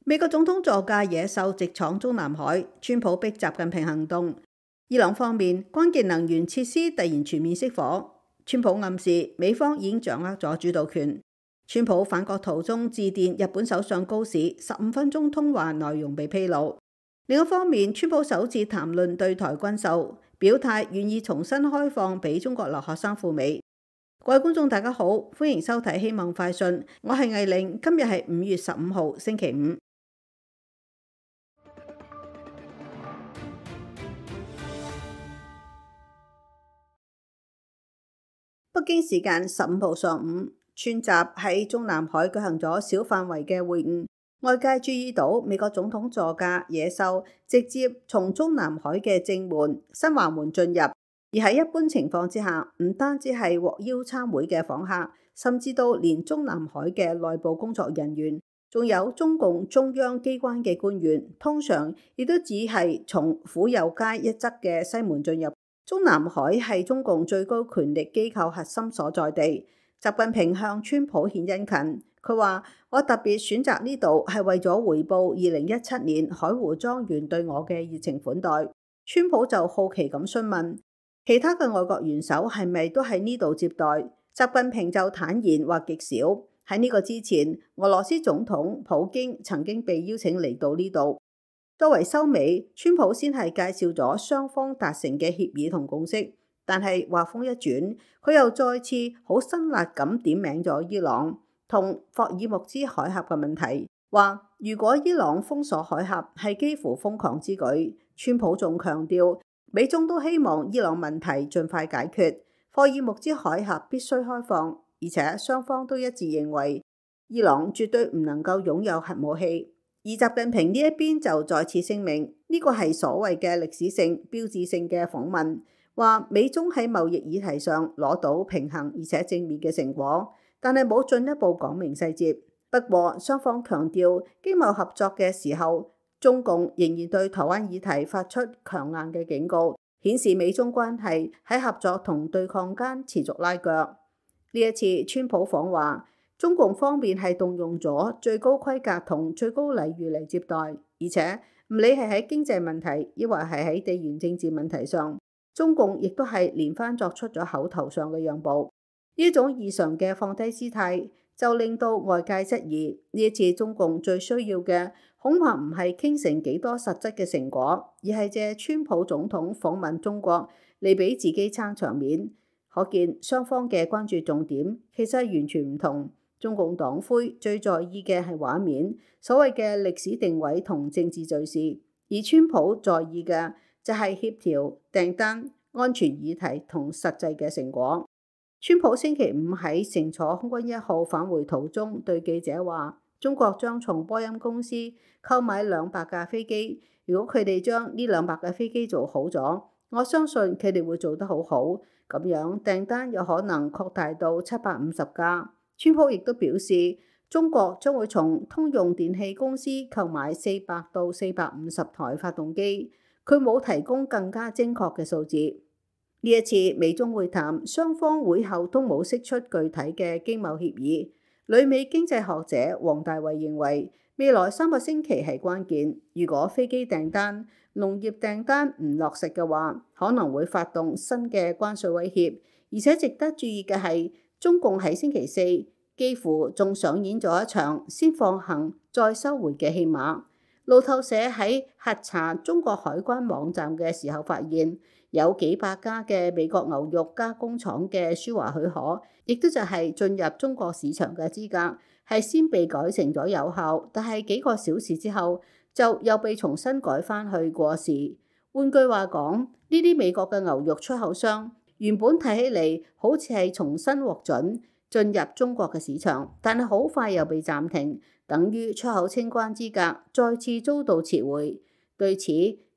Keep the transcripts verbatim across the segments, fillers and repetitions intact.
美國總統座駕野獸直闖中南海，川普逼習近平行動。伊朗方面，關鍵能源設施突然全面熄火，川普暗示美方已經掌握咗主導權。川普返國途中致電日本首相高市，十五分鐘通話內容被披露。另一方面，川普首次談論對台軍售，表態願意重新開放俾中國留學生赴美。各位觀眾大家好，歡迎收睇希望快訊，我係藝玲，今日係五月十五號星期五。北京時間十五號上午，川習喺中南海舉行咗小範圍嘅會晤，外界注意到美國總統座駕野獸直接從中南海嘅正門新華門進入，而喺一般情況之下，唔單止係獲邀參會嘅訪客，甚至到連中南海嘅內部工作人員，仲有中共中央機關嘅官員，通常亦都只係從府右街一側嘅西門進入。中南海係中共最高權力機構核心所在地。習近平向川普獻殷勤，佢話：我特別選擇呢度係為咗回報二零一七年海湖莊園對我嘅熱情款待。川普就好奇咁詢問其他嘅外國元首係咪都喺呢度接待。習近平就坦言話極少。喺呢個之前，俄羅斯總統普京曾經被邀請嚟到呢度。作為收尾，川普先係介紹咗雙方達成嘅協議同共識，但係話風一轉，佢又再次好辛辣咁點名咗伊朗同霍爾木茲海峽嘅問題，話如果伊朗封鎖海峽係幾乎瘋狂之舉。川普仲強調，美中都希望伊朗問題盡快解決，霍爾木茲海峽必須開放，而且雙方都一致認為伊朗絕對唔能夠擁有核武器。而習近平呢一邊就再次聲明，呢個係所謂嘅歷史性、標誌性嘅訪問，話美中喺貿易議題上攞到平衡而且正面嘅成果，但係冇進一步講明細節。不過雙方強調經貿合作嘅時候，中共仍然對台灣議題發出強硬嘅警告，顯示美中關係喺合作同對抗間持續拉鋸。呢一次川普訪華，中共方面係動用咗最高規格同最高禮遇嚟接待，而且唔理係喺經濟問題，抑或係喺地緣政治問題上，中共亦都係連番作出咗口頭上嘅讓步。呢種異常嘅放低姿態，就令到外界質疑呢一次中共最需要嘅，恐怕唔係傾成幾多實質嘅成果，而係借川普總統訪問中國嚟俾自己撐場面。可見雙方嘅關注重點其實係完全唔同。中共黨魁最在意嘅係畫面，所謂嘅歷史定位同政治敘事，而川普在意嘅就係協調、訂單、安全議題同實際嘅成果。川普星期五喺乘坐空軍一號返回途中對記者話：中國將從波音公司購買兩百架飛機，如果佢哋將呢兩百架飛機做好咗，我相信佢哋會做得好好，咁樣訂單有可能擴大到七百五十架。川普亦都表示，中國將會從通用電氣公司購買四百到四百五十台發動機。佢冇提供更加精確嘅數字。呢一次美中會談，雙方會後都冇釋出具體嘅經貿協議。旅美經濟學者黃大衛認為，未來三個星期係關鍵。如果飛機訂單、農業訂單唔落實嘅話，可能會發動新嘅關稅威脅。而且值得注意嘅係，中共喺星期四幾乎仲上演咗一場先放行再收回嘅戲碼。路透社喺核查中國海關網站嘅時候發現，有幾百家嘅美國牛肉加工廠嘅輸華許可，亦都就係進入中國市場嘅資格，係先被改成咗有效，但係幾個小時之後就又被重新改返去過時。換句話講，呢啲美國嘅牛肉出口商原本睇起嚟好似係重新獲准進入中國嘅市場，但係好快又被暫停，等於出口清關資格再次遭到撤回。對此，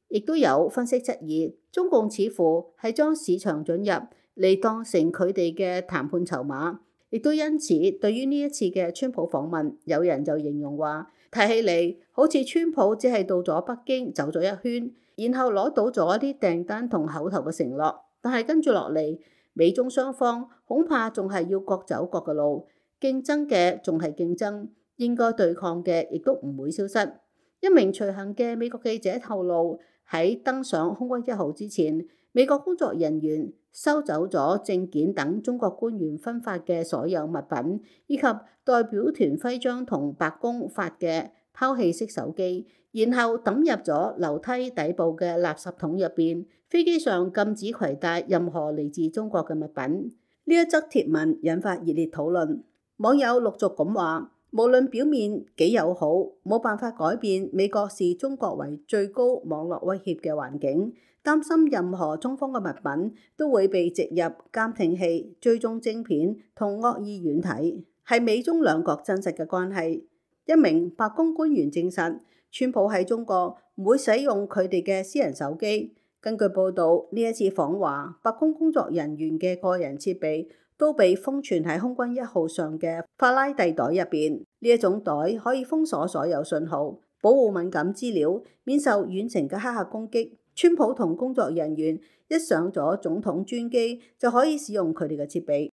亦都有分析質疑，中共似乎係將市場准入嚟當成佢哋嘅談判籌碼，亦都因此對於呢一次嘅川普訪問，有人就形容話，睇起嚟好似川普只係到咗北京走咗一圈，然後攞到咗一啲訂單同口頭嘅承諾。但係跟住落嚟，美中雙方恐怕仲係要各走各嘅路，競爭嘅仲係競爭，應該對抗嘅亦都唔會消失。一名隨行嘅美國記者透露，喺登上空軍一號之前，美國工作人員收走咗證件等中國官員分發嘅所有物品，以及代表團徽章同白宮發嘅拋棄式手機，然後抌入咗樓梯底部嘅垃圾桶入邊。飛機上禁止攜帶任何嚟自中國嘅物品。呢一則貼文引發熱烈討論，網友陸續咁話：無論表面幾友好，冇辦法改變美國視中國為最高網絡威脅嘅環境。擔心任何中方嘅物品都會被植入監聽器、追蹤晶片同惡意軟體，係美中兩國真實嘅關係。一名白宮官員證實，川普喺中國唔會使用佢哋嘅私人手機。根據報導，呢一次訪華，白宮工作人員嘅個人設備都被封存喺空軍一號上嘅法拉第袋入邊。呢一種袋可以封鎖所有信號，保護敏感資料，免受遠程嘅黑客攻擊。川普同工作人員一上咗總統專機就可以使用佢哋嘅設備。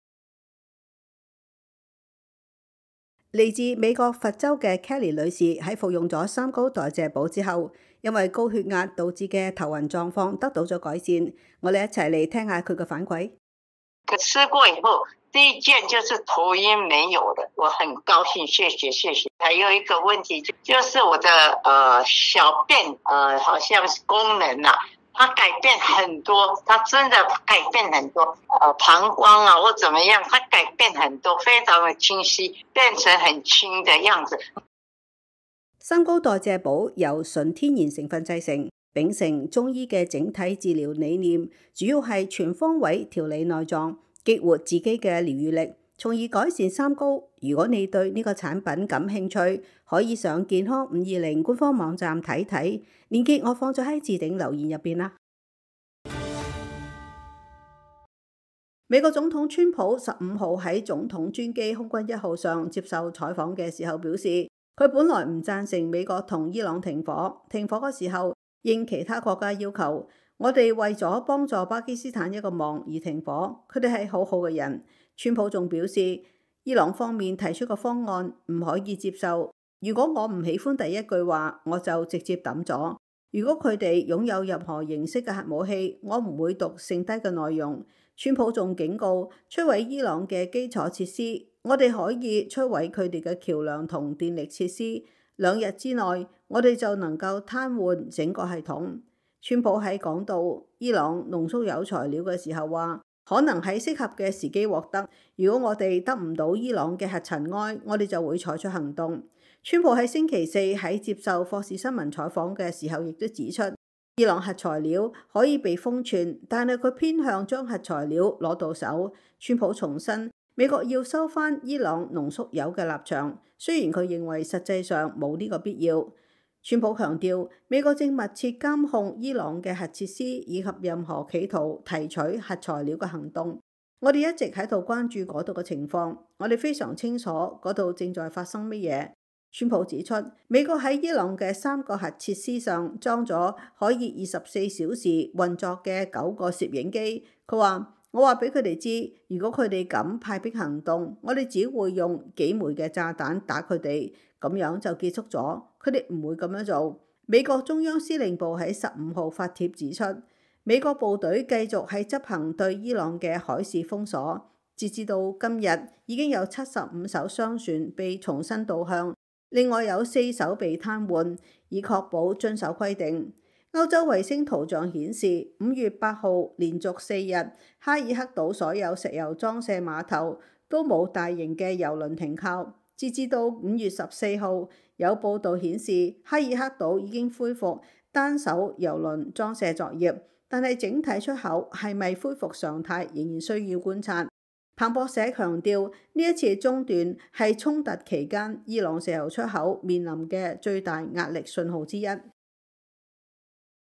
嚟自美國佛州嘅 Kelly 女士喺服用咗三高代謝寶之後，因為高血壓導致嘅頭暈狀況得到咗改善。我哋一齊嚟聽下佢嘅反饋。吃過以後，第一件就是頭暈沒有的，我很高興，謝謝謝謝。還有一個問題就就是我的呃小便呃好像是功能啊，它改變很多，它真的改變很多，呃膀胱啊或怎麼樣，它改變很多，非常的清晰，變成很輕的樣子。三高代謝寶由純天然成分製成，秉承中醫嘅整體治療理念，主要係全方位調理內臟，激活自己嘅療癒力，從而改善三高。如果你對呢個產品感興趣，可以上健康五二零官方網站睇睇，鏈接我放咗喺置頂留言入邊啦。美國總統川普十五號喺總統專機空軍一號上接受採訪嘅時候表示，佢本來唔贊成美國同伊朗停火，停火嘅時候應其他國家要求。我哋為咗幫助巴基斯坦一個忙而停火，佢哋係好好嘅人。川普仲表示，伊朗方面提出個方案唔可以接受。如果我唔喜歡第一句話，我就直接抌咗。如果佢哋擁有任何形式嘅核武器，我唔會讀剩低嘅內容。川普仲警告，摧毀伊朗嘅基礎設施，我哋可以摧毀佢哋嘅橋梁同電力設施。兩日之內，我哋就能夠癱瘓整個系統。川普喺講到伊朗濃縮鈾材料嘅時候話，可能喺適合嘅時機獲得。如果我哋得唔到伊朗嘅核塵埃，我哋就會採取行動。川普喺星期四喺接受霍士新聞採訪嘅時候，亦都指出，伊朗核材料可以被封存，但係佢偏向將核材料攞到手。川普重申，美國要收返伊朗濃縮鈾嘅立場，雖然佢認為實際上冇呢個必要。川普強調，美國正密切監控伊朗嘅核設施以及任何企圖提取核材料嘅行動。我哋一直喺度關注嗰度嘅情況，我哋非常清楚嗰度正在發生乜嘢。川普指出，美國喺伊朗嘅三個核設施上裝咗可以二十四小時運作嘅九個攝影機。佢話：我話俾佢哋知，如果佢哋敢派兵行動，我哋只會用幾枚嘅炸彈打佢哋，咁樣就結束咗。佢哋唔會咁樣做。美國中央司令部喺十五號發帖指出，美國部隊繼續喺執行對伊朗嘅海事封鎖。截至到今日，已經有七十五艘商船被重新導向，另外有四艘被癱瘓，以確保遵守規定。歐洲衛星圖像顯示，五月八號連續四日，哈爾克島所有石油裝卸碼頭都冇大型嘅油輪停靠。截至到五月十四號，有報道顯示哈爾克島已經恢復單艘油輪裝卸作業，但係整體出口係咪恢復常態仍然需要觀察。彭博社強調，呢一次中斷係衝突期間伊朗石油出口面臨嘅最大壓力信號之一。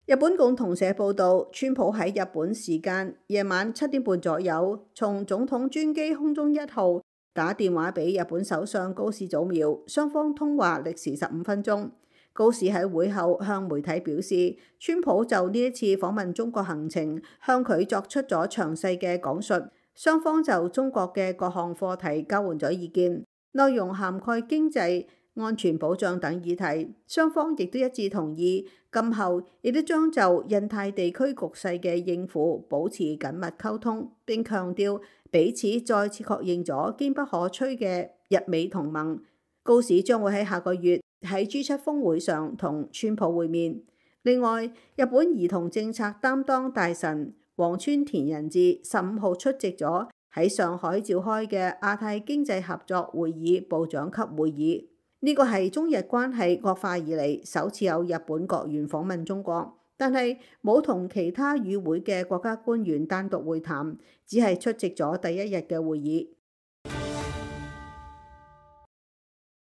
日本共同社報道，川普喺日本時間夜晚七點半左右，從總統專機空中一號打電話俾日本首相高市早苗，雙方通話歷時十五分鐘。高市喺會後向媒體表示，川普就呢一次訪問中國行程向佢作出咗詳細嘅講述，雙方就中國嘅各項課題交換咗意見。內容涵蓋經濟、安全保障等議題。雙方亦都一致同意，今後亦都將就印太地區局勢嘅應付保持緊密溝通，並強調彼此再次確認咗堅不可摧嘅日美同盟。高市將會喺下個月喺 G 七峰會上同川普會面。另外，日本兒童政策擔當大臣黃川田仁志十五號出席咗喺上海召開嘅亞太經濟合作會議部長級會議。呢個係中日關係惡化以嚟首次有日本國員訪問中國，但係冇同其他與會嘅國家官員單獨會談，只係出席咗第一日嘅會議。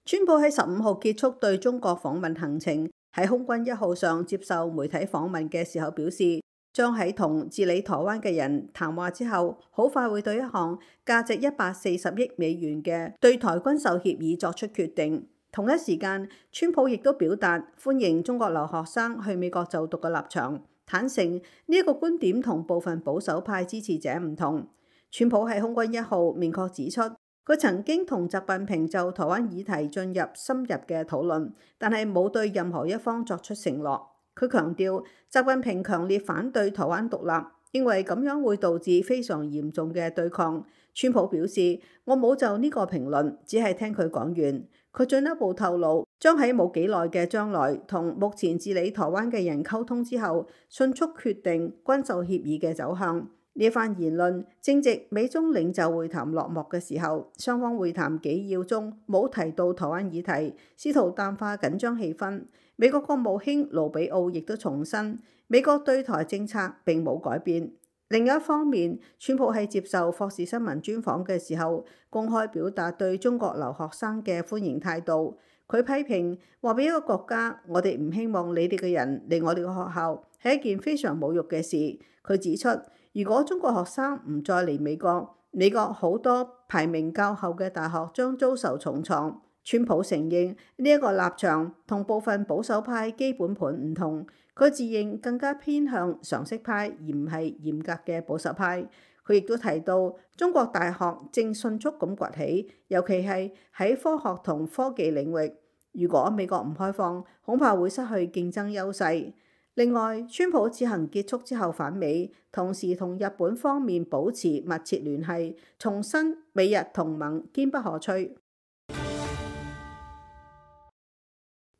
川普喺十五號結束對中國訪問行程，喺空軍一號上接受媒體訪問嘅時候表示，將喺同治理台灣嘅人談話之後，好快會對一項價值一百四十億美元嘅對台軍售協議作出決定。同一時間，川普亦都表達歡迎中國留學生去美國就讀嘅立場，坦承呢一個觀點同部分保守派支持者唔同。川普喺空軍一號明確指出，佢曾經同習近平就台灣議題進入深入嘅討論，但係冇對任何一方作出承諾。佢強調，習近平強烈反對台灣獨立，認為咁樣會導致非常嚴重嘅對抗。川普表示，我冇就呢個評論，只係聽佢講完。佢進一步透露，將喺冇幾耐嘅將來同目前治理台灣嘅人溝通之後，迅速決定軍售協議嘅走向。呢番言論正值美中領袖會談落幕嘅時候，雙方會談紀要中冇提到台灣議題，試圖淡化緊張氣氛。美國國務卿盧比奧亦都重申，美國對台政策並冇改變。另一方面，川普喺接受霍士新聞專訪嘅時候，公開表達對中國留學生嘅歡迎態度。佢批評話俾一個國家，我哋唔希望你哋嘅人嚟我哋嘅學校，係一件非常侮辱嘅事。佢指出，如果中國學生唔再嚟美國，美國好多排名較後嘅大學將遭受重創。川普承認呢一個立場同部分保守派基本盤唔同，佢自認更加偏向常識派而唔係嚴格嘅保守派。佢亦都提到中國大學正迅速咁崛起，尤其係喺科學同科技領域。如果美國唔開放，恐怕會失去競爭優勢。另外，川普此行結束之後返美，同時同日本方面保持密切聯繫，重申美日同盟堅不可摧。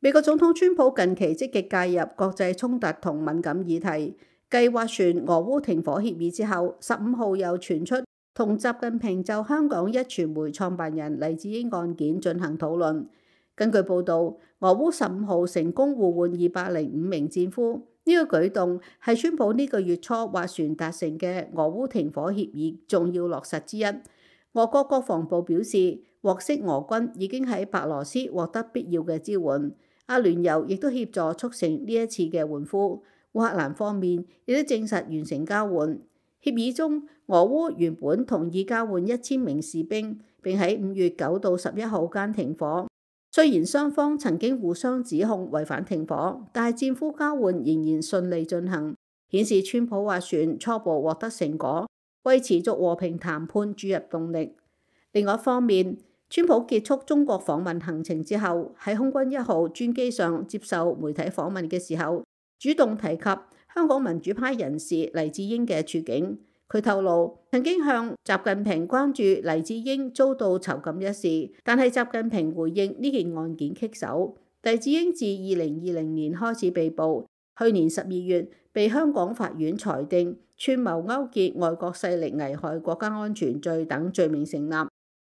美國總統川普近期積極介入國際衝突同敏感議題，繼斡旋俄烏停火協議之後，十五號又傳出同習近平就香港壹傳媒創辦人黎智英案件進行討論。根據報導，俄烏十五號成功互換二百零五名戰俘，呢、這個舉動係川普呢個月初斡旋達成嘅俄烏停火協議重要落實之一。俄國國防部表示，獲悉俄軍已經喺白羅斯獲得必要嘅支援，阿聯酋亦都協助促成呢一次嘅援俘。烏克蘭方面亦都證實完成交換。協議中，俄烏原本同意交換一千名士兵，並喺五月九到十一號間停火。雖然雙方曾經互相指控違反停火，但係戰俘交換仍然順利進行，顯示川普斡旋初步獲得成果，為持續和平談判注入動力。另外一方面，川普結束中國訪問行程之後，喺空軍一號專機上接受媒體訪問嘅時候，主動提及香港民主派人士黎智英嘅處境。佢透露曾經向習近平關注黎智英遭到囚禁一事，但係習近平回應呢件案件棘手。黎智英自二零二零年開始被捕，去年十二月被香港法院裁定串謀勾結外國勢力危害國家安全罪等罪名成立。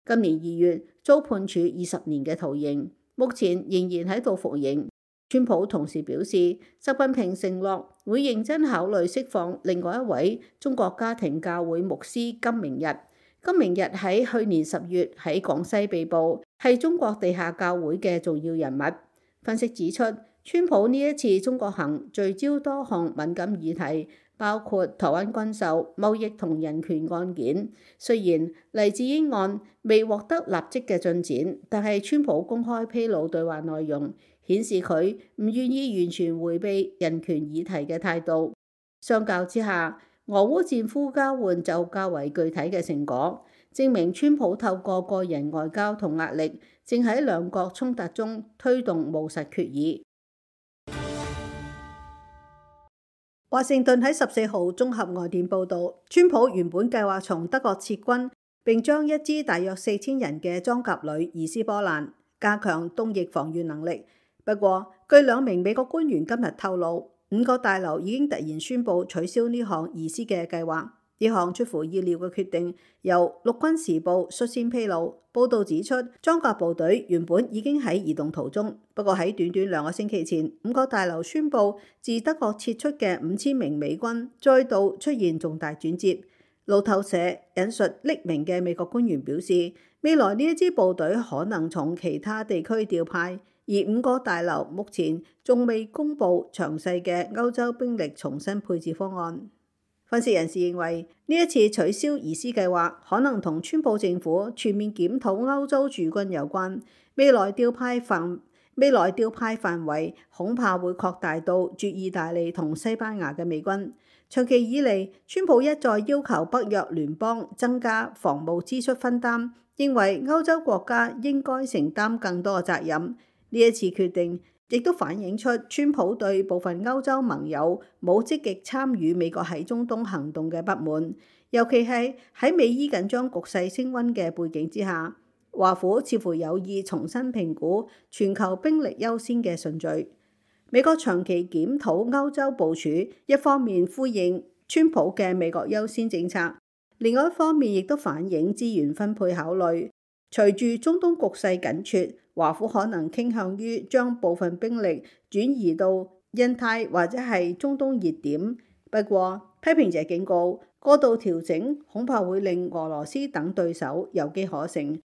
今年二月遭判處二十年嘅徒刑，目前仍然喺度服刑。川普同時表示，習近平承諾會認真考慮釋放另外一位中國家庭教會牧師金明日。金明日喺去年十月喺廣西被捕，係中國地下教會嘅重要人物。分析指出，川普呢一次中國行聚焦多項敏感議題，包括台灣軍售、貿易同人權案件。雖然黎智英案未獲得立即嘅進展，但係川普公開披露對話內容，顯示佢唔願意完全迴避人權議題嘅態度。相較之下，俄烏戰俘交換就較為具體嘅成果。證明川普透過個人外交同壓力，正喺兩國衝突中推動務實決議。華盛頓喺十四號綜合外電報導，川普原本計劃從德國撤軍，並將一支大約四千人嘅裝甲旅移師波蘭，加強東翼防禦能力。不過，據兩名美國官員今日透露，五角大樓已經突然宣布取消呢項移師嘅計劃。呢項出乎意料嘅決定，由陸軍時報率先披露。報導指出，裝甲部隊原本已經喺移動途中，不過喺短短兩個星期前，五角大樓宣布自德國撤出嘅五千名美軍再度出現重大轉折。路透社引述匿名嘅美國官員表示，未來呢一支部隊可能從其他地區調派，而五角大樓目前仲未公布詳細嘅歐洲兵力重新配置方案。分析人士認為，呢一次取消移師計劃可能同川普政府全面檢討歐洲駐軍有關。未來調派範未來調派範圍恐怕會擴大到駐意大利同西班牙嘅美軍。長期以嚟，川普一再要求北約聯邦增加防務支出分擔，認為歐洲國家應該承擔更多嘅責任。呢一次決定亦都反映出川普對部分歐洲盟友冇積極參與美國喺中東行動嘅不滿，尤其係喺美伊緊張局勢升溫嘅背景之下，華府似乎有意重新評估全球兵力優先嘅順序。美國長期檢討歐洲部署，一方面呼應川普嘅美國優先政策，另外一方面亦都反映資源分配考慮。隨住中東局勢緊絀，華府可能傾向於將部分兵力轉移到印太或者係中東熱點。不過，批評者警告，過度調整恐怕會令俄羅斯等對手有機可乘。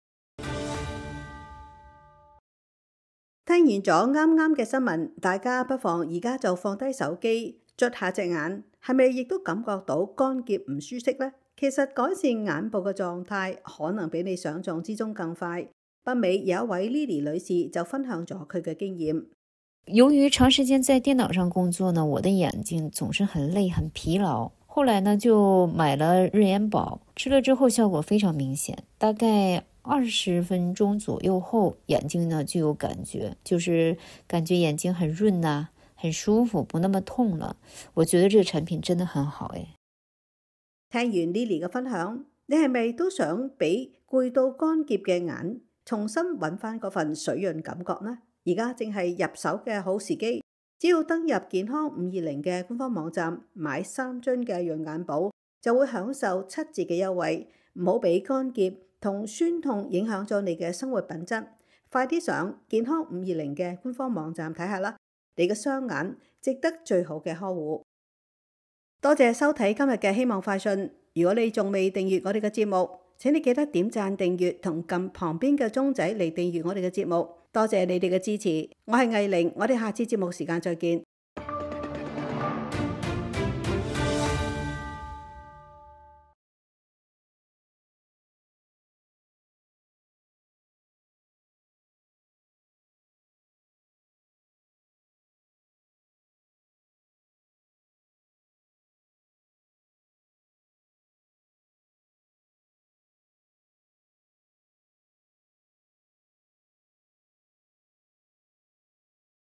聽完咗啱啱嘅新聞，大家不妨而家就放低手機，捽下隻眼，係咪亦都感覺到乾澀唔舒適呢？其實改善眼部嘅狀態可能比你想象之中更快。北美有一位 Lily 女士就分享咗佢嘅經驗。由於長時間在電腦上工作呢，我的眼睛總是很累很疲勞。後來呢就買了日眼寶，吃了之後效果非常明顯，大概二十分鐘左右後，眼睛呢就有感覺，就是感覺眼睛很潤啊，很舒服，不那麼痛了。我覺得這個產品真的很好誒。聽完 Lily 嘅分享，你係咪都想俾攰到乾澀嘅眼重新揾翻嗰份水潤感覺呢？而家正係入手嘅好時機，只要登入健康五二零嘅官方網站買三樽嘅潤眼寶，就會享受七折嘅優惠。唔好俾乾澀同酸痛影響咗你嘅生活品質。快啲上健康五二零嘅官方網站睇下啦，你嘅雙眼值得最好嘅呵護。多謝收睇今日嘅希望快訊。如果你仲未訂閱我哋嘅節目，請你記得點讚訂閱同撳旁邊嘅鐘仔嚟訂閱我哋嘅節目。多謝你哋嘅支持，我係藝玲，我哋下次節目時間再見。